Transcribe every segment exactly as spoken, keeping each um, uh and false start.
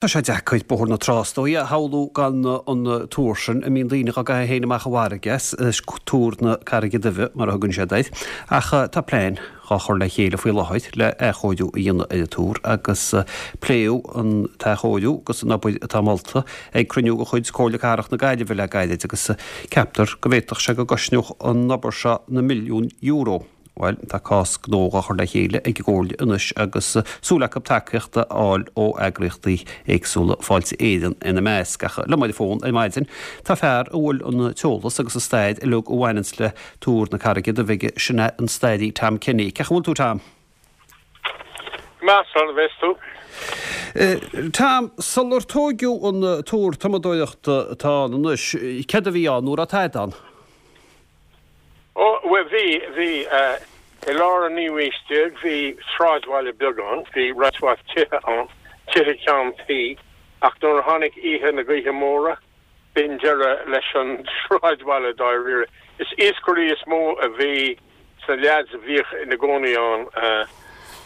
Tá sé deacair Bóthar na Trá is dóigh a shamhlú gan an túr sin a mbíonn daoine dhá gcaitheamh féin amach i bhfarraige as, Túr na Carraige Duibhe mar a thugann siad air. Ach tá plean dhá chur le chéile faoi láthair le athchóiriú a dhéanamh ar an túr agus pléadh an t-athchóiriú agus an obair atá molta ag cruinniú de chuid Comhairle Cathrach na Gaillimhe le gairid agus ceaptar go bhféadfadh sé go gcosnódh an obair seo na milliúin euro. Bhuel, tá cás gnó dhá chur le chéile ag an gComhairle anois agus súil acu tacaíocht a fháil ó eagraíochtaí éagsúla, Fáilte Éireann ina measc. Ach liom ar an bhfón ar maidin tá fear a bhfuil an t-eolas agus an stair uilig a bhaineanns le Túr na Carraige Duibhe aige, sin é an stairí Tom Kenny. Cén chaoi a bhfuil tú, Tom? Go maith, slán a bheas tú. Tom, sular tóigeadh an túr tumadóireachta atá ann anois, céard a bhí ann, nó an raibh tada ann? Ó, bhuel, bhí, bhí, i lár an naoú haois déag, bhí sráidbhaile beag ann, bhí roinnt mhaith tithe ann, tithe ceann tuí, ach nuair a tháinig oíche na gaoithe móire, b'in deireadh leis an sráidbhaile dáiríre. Is iascairí is mó a bhí sna leaids a bhíodh ina gcónaí ann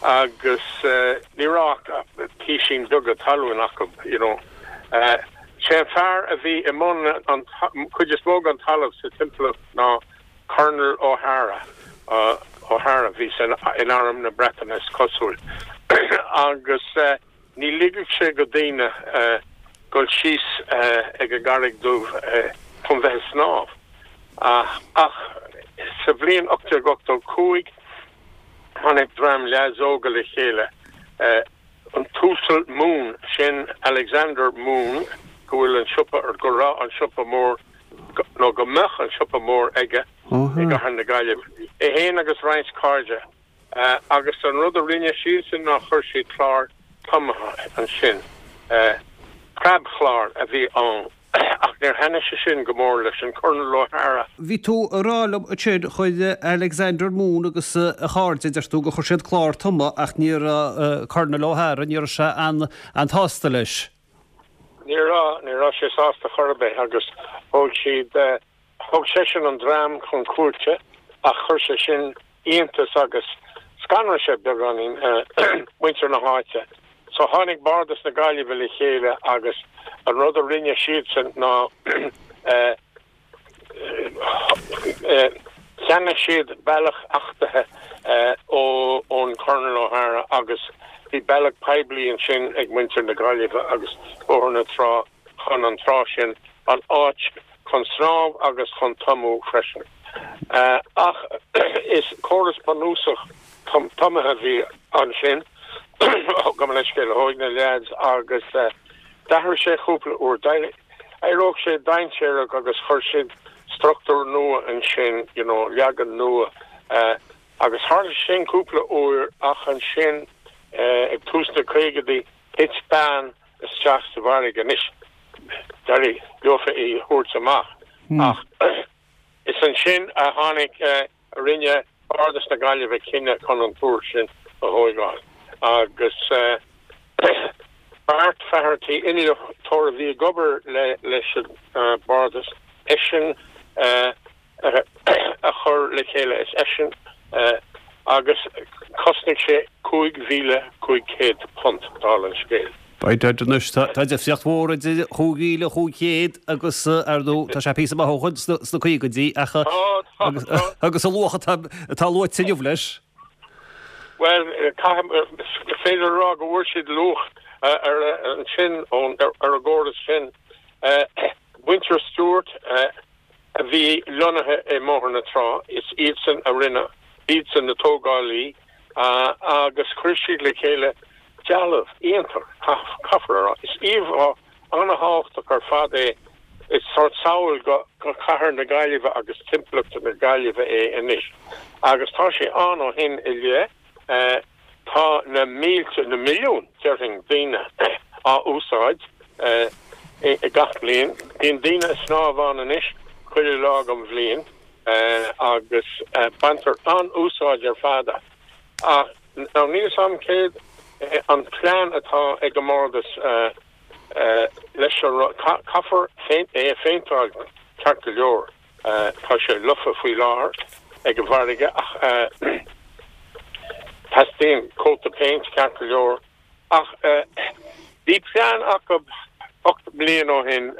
agus ní raibh ach písín beaga talún acu, you know. Sé an fear a bhí i mbun an chuid is mó den talamh sa timpeallacht ná Colonel O'Hara, O'Hara, bhí san in Arm na Breataine is cosúil, agus ní ligeadh sé go daoine dul síos ag an gCarraig Dhubh chun bheith ag snámh. Ach sa bhliain ocht déag ochtó cúig tháinig dream leaids óga le chéile, an tUasal Moon, sin Alexander Moon, go bhfuil an siopa, go raibh an siopa mór, nó go mbeadh an siopa mór aige i gcathair na Gaillimhe, é féin agus roinnt cairde, agus an rud a rinne siadsan ná chuir siad clár tumaithe ansin. Preabchlár a bhí ann, ach níor thaitnigh sé sin go mór leis an Colonel O'Hara. Bhí tú ag rá liom ansin, chuir Alexander Moon agus a chairde, deir tú, gur chuir siad clár tumadh ach ní raibh Colonel O'Hara, ní raibh sé an-sásta leis. Ní raibh, ní raibh sé sásta chor ar bith agus thóg siad, thóg seisean an dream chun cúirte ach chuir sé sin iontas agus scanraigh sé beagáinín muintir na háite. So tháinig Bardas na Gaillimhe le chéile agus an rud a rinne siadsan ná eh, Cheannaigh siad bealach achtaithe ón Colonel O'Hara agus bhí bealach poiblí ansin ag muintir na Gaillimhe agus Bóthar na Trá chun an trá sin, an áit chun snámh agus chun tumú freisin. Ach is córas bunúsach tumaithe a bhí ansin, gabh mo leithscéal, thóg na leaids agus d'athraigh sé cúpla uair. D'éireodh sé dainséarach agus chuir siad struchtúr nua ansin, you know, leagan nua. Agus tharla sé sin cúpla uair ach ansin ag tús na caogaidí thit bean isteach sa bhfarraige. Anois, d'éirigh leofa í a thabhairt amach ach is ansin a tháinig, a rinne Bardas na Gaillimhe cinneadh chun an túr sin a thóigeáil agus Bart Faherty, innealtóir a bhí ag obair leis an Bardas, eisean a chuir le chéile, is eisean agus chosnaigh sé cúig mhíle cúig chéad punt, dála an scéil. By dad anois, tá difríocht mhór idir chúig mhíle chúig chéad agus, ar ndóigh, tá sé píosa maith ó shoin sna caogaidí ach agus an luach atá luaite inniu leis. Bhuel, caithfidh, is féidir a rá go bhfuair siad luach ar ansin, ar an gcóras sin. Muintir Stewart a bhí lonnaithe i mBóthar na Trá, is iadsan a rinne, iadsan na tógálaí agus chuir siad le chéile dealbh iontach, caithfear a rá. Is íomhá an-thábhachtach ar fad é, is sórt samhail go chathair na Gaillimhe agus timpeallacht na Gaillimhe é anois. Agus tá sé ann ó shin i leith. Tá na mílte, na milliúin, déarfainn, daoine á úsáid gach bliain. Bíonn daoine ag snámh ann anois chuile lá den bhliain agus baintear an-úsáid ar fad as. Ach now níl 'fhios a'm céard é an plean atá ag an mBardas leis an rud. Caithfear é a phéinteáil ceart go leor. Tá sé lofa faoi láthair ag an bhfarraige ach teastaíonn cóta péint ceart go leor. Ach Bhí plean acu ocht mbliana ó shin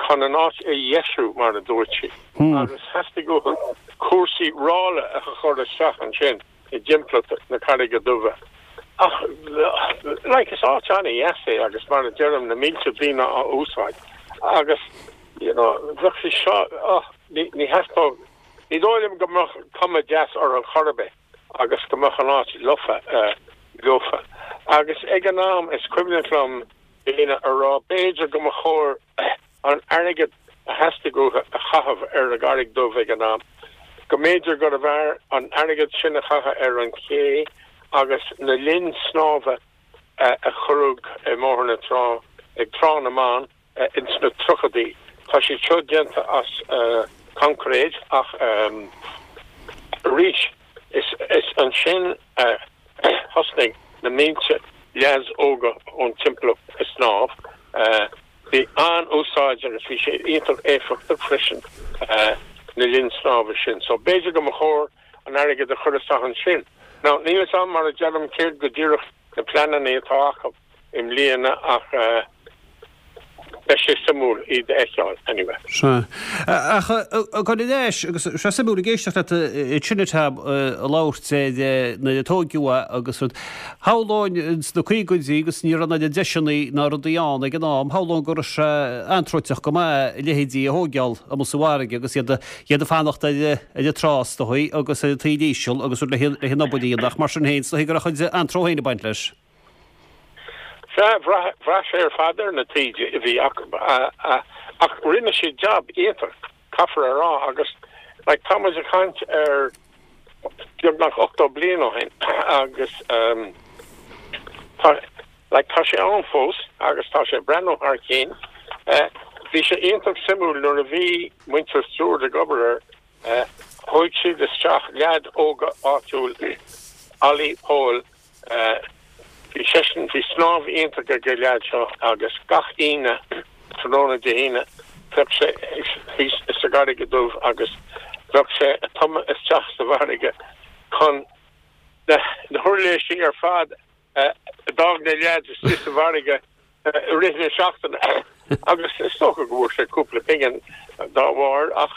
chun an áit a dheisiú, mar a dúirt sí, agus theastaigh uathu cúrsaí ráille a chur isteach ansin i dtimpeallacht na Carraige Duibhe. Ach like is áit an-dheas é agus mar a deirim na mílte daoine á úsáid agus you know bheadh sé seo oh, ní ní theastódh ní dóigh liom go mbeadh cuma deas orthu chor ar bith agus go mbeadh an áit lofa leofa. Agus ag an am is cuimhneach liom daoine a rá b'fhéidir go mba chóir an airgead a theastaigh uathu a chaitheamh ar an gCarraig Dhubh ag an am, go mb'fhéidir gurbh fhearr an airgead sin a chaitheamh ar an ché agus na linn snámha a cuireadh i mBóthar na Trá ag Trá na mBan ins na tríochaidí. Tá siad seo déanta as coincréit ach arís is is ansin a thosnaigh na mílte leaids óga ón timpeallacht ag snámh. Bhí an-úsáid agus bhí sé iontach éifeachtach freisin na linn snámha sin. So b'fhéidir go mba chóir an airgead a chur isteach ansin. Now níl a fhios agam mar a deirim céard go díreach na pleananna atá acu i mbliana ach beidh sé suimiúil iad a fheiceáil anyway. Sea. Ach ag dul ar ais, agus sé suimiúil ag éisteacht leat ansin a Tom ag labhairt ar nuair a tóigeadh é agus rud. Shamhlóinn sna caogaidí agus ní raibh na deiseanna ná rudaí ann ag an am, shamhlóinn go raibh sé antrúiteach go maith a leithéidí a thóigeáil amuigh sa bhfarraige agus iad iad ag fanacht ar ar an trá is dóigh agus ar an taoille íseal agus rud le le an obair a dhéanamh ach mar sin féin is dóigh go raibh a chuid antró féin ag baint leis. Sea, bhraith sé ar fad ar na taoide a bhí acu ach rinne siad jab iontach, caithfear a rá, agus like tá muid ag caint ar beagnach ochtó bliain ó shin agus tá like tá sé ann fós agus tá sé ag breathnú thar cionn. Bhí sé iontach suimiúil nuair a bhí muintir Stewart ag obair air, thóig siad isteach leaid óga áitiúil, Ollie Pól, Bhí seisean, bhí snámh iontach ag an leaid seo agus gach Aoine, tráthnóna Dé hAoine, bheadh sé thíos sa gCarraig Dhubh agus bheadh sé ag tumadh isteach sa bhfarraige chun na huirlisí ar fad a d'fhág na leaids istigh sa bhfarraige i rith na seachtaine agus is dócha go bhfuair sé cúpla pingin dá bharr ach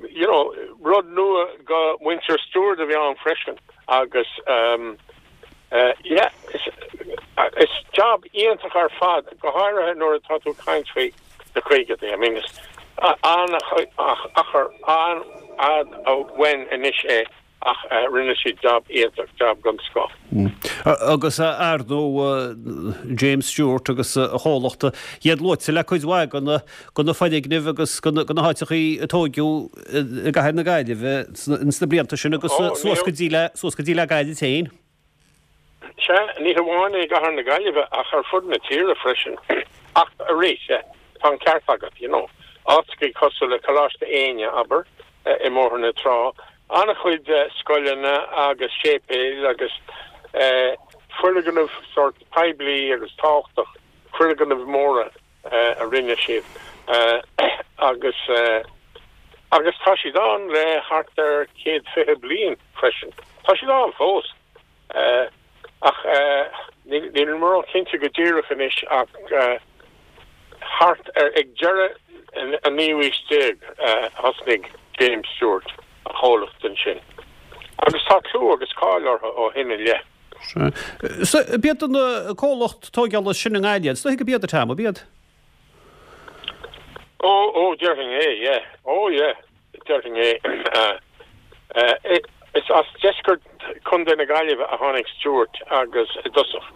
you know, rud nua go muintir Stewart a bhí ann freisin agus um, uh, yeah, is, is job iontach ar fad go háirithe nuair atá tú ag caint faoi na caogaidí. I mean, is an-achar an-fhada uainn anois é ach rinne siad job iontach, job den scoth. Agus ar ndóigh James Stewart agus a chomhlacht, iad luaite le cuid mhaith de na foirgnimh agus de na háiteachaí a tóigeadh i gcathair na Gaillimhe ins na blianta sin agus suas go dtí le suas go dtí le gairid féin. Sea, ní hamháin i gcathair na Gaillimhe ach ar fud na tíre freisin. Ach arís, tá an ceart agat, you know, áiteachaí cosúil le Coláiste Éinne, abair, i mBóthar na Trá, an-chuid scoileanna agus séipéil agus foirgnimh sórt poiblí agus tábhachtach, foirgnimh mhóra a rinne siad agus agus tá siad ann le thart ar céad fiche bliain freisin. Tá siad ann fós ach níl mé cinnte go díreach anois ach thart ar ag deireadh an naoú haois déag a thosnaigh James Stewart a chomhlacht ansin. Agus tá clú agus cáil orthu ó shin i leith. Sea. B'iad an comhlacht tóigeála is sine i nGaillimh, is dóigh go b'iad, a Tom, ab iad? Ó, ó, déarfainn é, yeah. Ó, yeah, déarfainn é. Is as deisceart Chontae na Gaillimhe a tháinig Stewart agus i dtosach.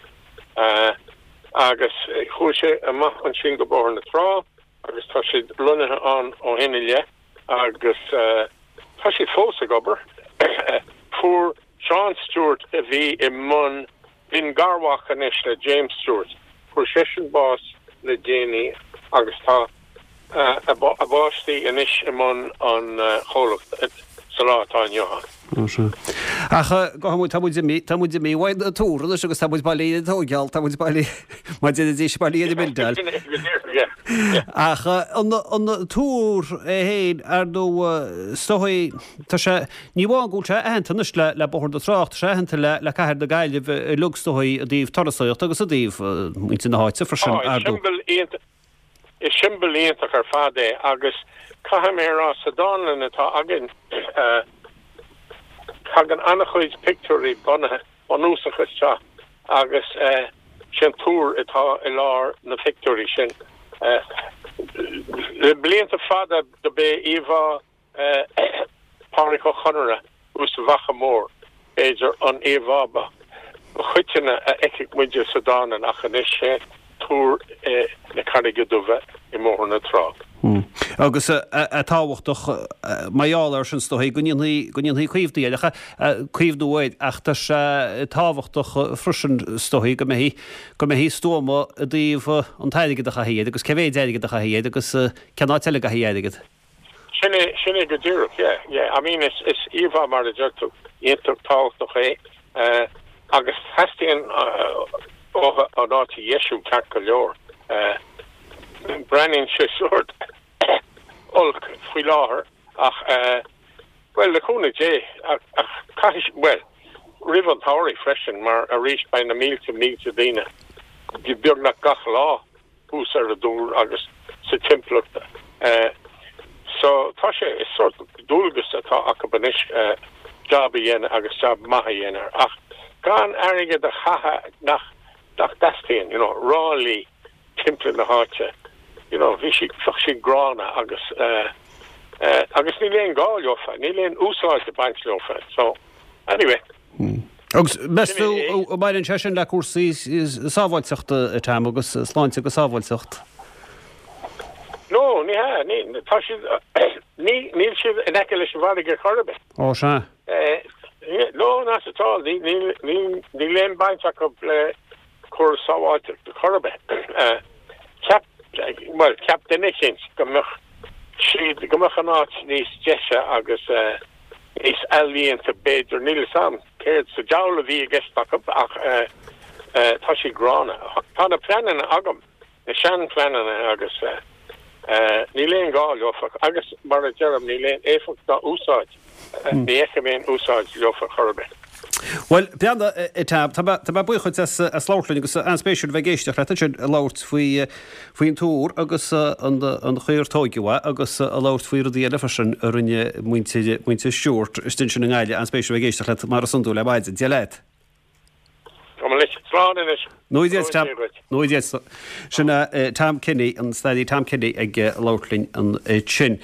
Agus chuaigh sé amach ansin go Bóthar na Trá agus tá siad lonnaithe ann ó shin i leith agus tá siad fós ag obair. Fuair Seán Stewart a bhí i mbun, b'in garmhac anois le James Stewart, fuair seisean bás le déanaí agus tá a bpáistí anois i mbun an chomhlacht sa lá atá inniu ann. Ó sea. Ach go tá muid, tá muid imithe, tá muid imithe uaidh na túr anois agus tá muid bailithe ar an tóigeáil, tá muid bailithe, mar a déarfaidís, bailithe ar an mbildeáil. Yeah, yeah. Ach an an túr é féin ar ndóigh is dóigh tá sé ní amháin go bhfuil sé aitheanta anois le le Bóthar na Trá tá sé aitheanta le le cathair na Gaillimhe uilig is dóigh i dtaobh turasóireachta agus i dtaobh muintir na háite freisin Oh, ar ndóigh. Siombail iontach is siombail iontach ar fad é agus caithfidh mé rá sa dánlann atá againn uh, tagann an-chuid pictiúirí bunaithe bunúsach isteach agus uh, sin túr atá i lár na pictiúirí sin. Uh, le blianta fada do b'é íomhá uh, Pádraic Ó Conaire thuas sa Bhacha Mór b'fhéidir an íomhá ba choitianta a fheicfeadh muide sa dánlann ach anois sé túr uh, na Carraige Duibhe i mBóthar na Trá. Hmm. Agus a tábhachtach mar gheall air sin is dóigh go ndéanfaí go ndéanfaí caomhnú air caomhnú air ach tá sé tábhachtach freisin is dóigh go mbeidh go mbeidh stuama i dtaobh an t-airgead a chaitheamh agus cé mhéad airgead a chaitheamh agus cén áit eile a gcaithfí airgead. Sin é sin é go díreach yeah yeah I mean is is íomhá mar a deir tú iontach tábhachtach é uh, agus teastaíonn uh, ó an áit a dheisiú ceart go leor. Uh, breathnaíonn sé sórt olc faoi láthair ach uh, well le cúnamh Dé ach ach caithfidh well roimh an samhradh freisin mar arís beidh na mílte mílte daoine beagnach gach lá thuas ar an dtúr agus sa timpeallacht uh, so tá sé is sórt dualgas atá acu anois uh, job a dhéanamh agus job maith a dhéanamh ach gan airgead a chaitheamh nach nach dteastaíonn you know ráillí timpeall na háite you know bhí si si gránna agus uh, uh, agus níl aon gá leofa níl aon úsáid ag baint leofa so anyway hmm. Agus meas tú mbaineann sé sin le cúrsaí sábháilteachta Tom agus sláinte agus sábháilteacht. No ní ha ní tá siad ní níl siad in aice leis an bhfarraige chor ar bith. Ó sé. Uh, no not at all ní ní ní níl aon baint acu le cúrsaí sábháilteachta chor ar bith. Uh, cheap well cheap duine éicint go mbeadh siad go mbeadh an áit níos deise agus uh, níos ealaíonta b'fhéidir níl sam céard sa diabhal a bhí i gceist acu ach uh, uh, tá sé gránna. Tá na pleananna agam na seanphleananna agus uh, uh, níl aon gá leofa agus mar a deirim níl aon éifeacht ná úsáid ní fheicim aon úsáid leofa chor ar bith. Well beanda tá tá buíoch as as labhairt linn agus an-spéisiúil bheith ag éisteacht leat sin labhairt faoi faoin túr agus an an chaoi ar tógadh é agus a labhairt faoi rudaí eile freisin a rinne muintir muintir Stewart istigh ansin i nGaillimh an-spéisiúil bheith ag éisteacht leat mar is iondúil le maidin Dia leat. Nó Nó sin Tom Kenny an staraí Tom Kenny ag labhairt linn ansin.